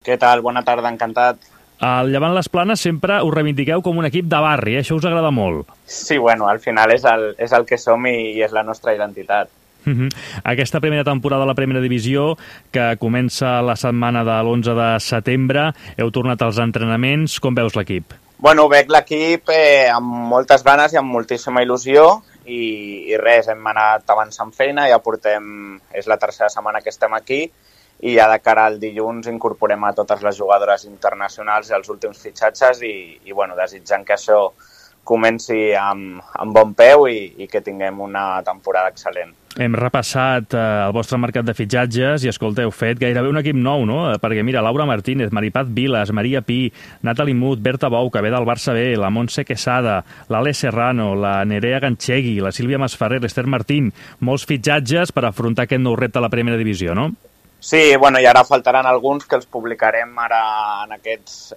Què tal? Bona tarda, encantat. Al Llevant Les Planes sempre us reivindiqueu com un equip de barri, això us agrada molt. Sí, bueno, al final és el que som i és la nostra identitat. Aquesta primera temporada de la Primera Divisió, que comença la setmana de l'11 de setembre, heu tornat als entrenaments, com veus l'equip? Bueno, veig l'equip amb moltes ganes i amb moltíssima il·lusió i res, hem anat avançant feina, ja portem, és la tercera setmana que estem aquí i ja de cara al dilluns incorporem a totes les jugadores internacionals i els últims fitxatges i bueno, desitjant que això comenci amb bon peu i que tinguem una temporada excel·lent. Hem repassat el vostre mercat de fitxatges i, escolta, heu fet gairebé un equip nou, no? Perquè, mira, Laura Martínez, Maripat Vilas, Maria Pi, Nathalie Mut, Berta Bou, que ve del Barça B, la Montse Quesada, l'Ale Serrano, la Nerea Ganchegui, la Sílvia Masferrer, l'Ester Martín, molts fitxatges per afrontar aquest nou repte a la Primera Divisió, no? Sí, bueno, i ara faltaran alguns que els publicarem ara en aquests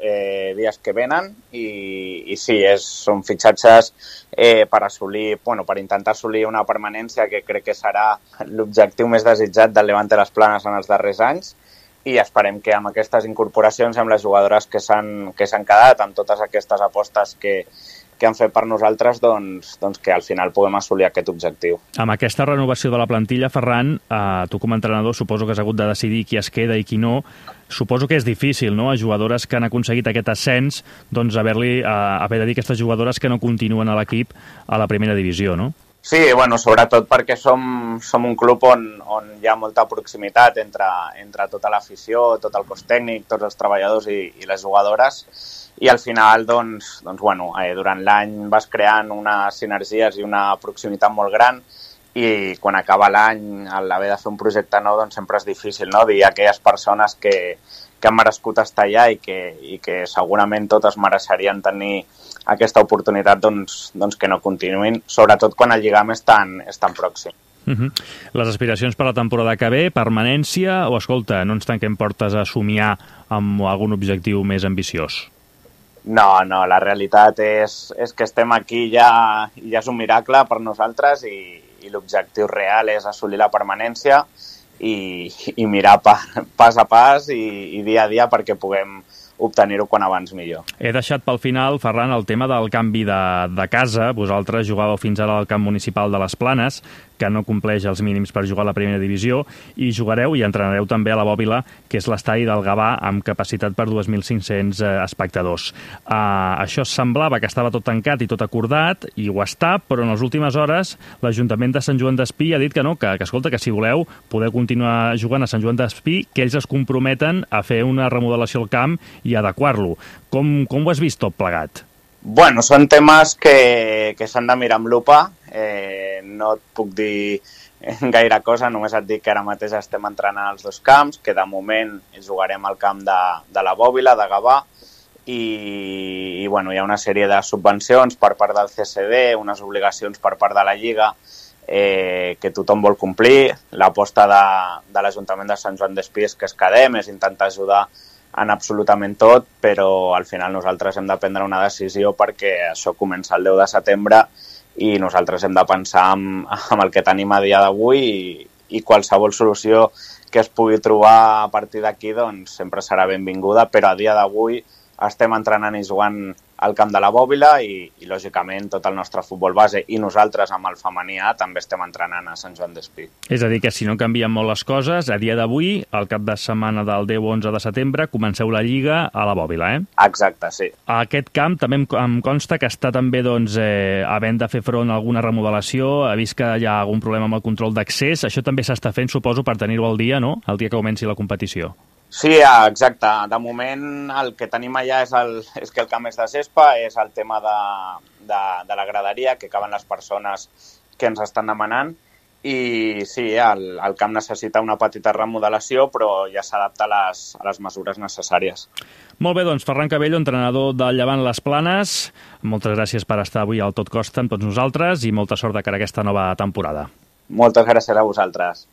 dies que venen i sí, són fitxatges per assolir, bueno, per intentar assolir una permanència que crec que serà l'objectiu més desitjat del Levante Les Planes en els darrers anys i esperem que amb aquestes incorporacions, amb les jugadores que s'han quedat, amb totes aquestes apostes que han fet per nosaltres, doncs que al final puguem assolir aquest objectiu. Amb aquesta renovació de la plantilla, Ferran, tu com a entrenador suposo que has hagut de decidir qui es queda i qui no. Suposo que és difícil, no?, a jugadores que han aconseguit aquest ascens, doncs haver de dir aquestes jugadores que no continuen a l'equip a la Primera Divisió, no? Sí, bueno, sobretot perquè som un club on hi ha molta proximitat entre tota l'afició, tot el cos tècnic, tots els treballadors i les jugadores, i al final, bueno, durant l'any vas creant unes sinergies i una proximitat molt gran i quan acaba l'any, a l'haver de fer un projecte nou, doncs sempre és difícil, no?, dir a aquelles persones que han merescut estar allà i que segurament totes mereixerien tenir aquesta oportunitat, doncs que no continuïn, sobretot quan el lligam és tan pròxim. Les aspiracions per la temporada que ve, permanència o, escolta, no ens tanquem portes a somiar amb algun objectiu més ambiciós? No, la realitat és que estem aquí ja és un miracle per nosaltres i l'objectiu real és assolir la permanència i mirar pas a pas i dia a dia perquè puguem obtenir-ho quan abans millor. He deixat pel final, Ferran, el tema del canvi de casa. Vosaltres jugàveu fins ara al camp municipal de Les Planes, que no compleix els mínims per jugar a la Primera Divisió, i jugareu i entrenareu també a la Bòbila, que és l'estadi del Gavà, amb capacitat per 2.500 espectadors. Això semblava que estava tot tancat i tot acordat, i ho està, però en les últimes hores l'Ajuntament de Sant Joan d'Espí ha dit que no, que escolta, que si voleu podeu continuar jugant a Sant Joan d'Espí, que ells es comprometen a fer una remodelació al camp i adequar-lo. Com ho has vist tot plegat? Bueno, són temes que s'han de mirar amb lupa. No et puc dir gaire cosa, només et dic que ara mateix estem entrenant als dos camps, que de moment jugarem al camp de la Bòbila, de Gavà, i bueno, hi ha una sèrie de subvencions per part del CSD, unes obligacions per part de la Lliga que tothom vol complir. L'aposta de l'Ajuntament de Sant Joan d'Espí és que es quedem, és intentar ajudar en absolutament tot, però al final nosaltres hem de prendre una decisió perquè això comença el 10 de setembre i nosaltres hem de pensar en el que tenim a dia d'avui i qualsevol solució que es pugui trobar a partir d'aquí doncs sempre serà benvinguda, però a dia d'avui estem entrenant i jugant al camp de la Bòbila i lògicament tot el nostre futbol base i nosaltres amb el femení A també estem entrenant a Sant Joan d'Espí. És a dir, que si no canvien molt les coses, a dia d'avui, al cap de setmana del 10-11 de setembre, comenceu la Lliga a la Bòbila, eh? Exacte, sí. Aquest camp també em consta que està també havent de fer front a alguna remodelació, ha vist que hi ha algun problema amb el control d'accés, això també s'està fent, suposo, per tenir-ho al dia, no?, el dia que comenci la competició. Sí, exacte. De moment el que tenim allà és que el camp és de gespa, és el tema de la graderia, que caben les persones que ens estan demanant, i sí, el camp necessita una petita remodelació, però ja s'adapta a les mesures necessàries. Molt bé, doncs, Ferran Cabello, entrenador del Llevant Les Planes, moltes gràcies per estar avui al Tot Costa amb tots nosaltres i molta sort de cara a aquesta nova temporada. Moltes gràcies a vosaltres.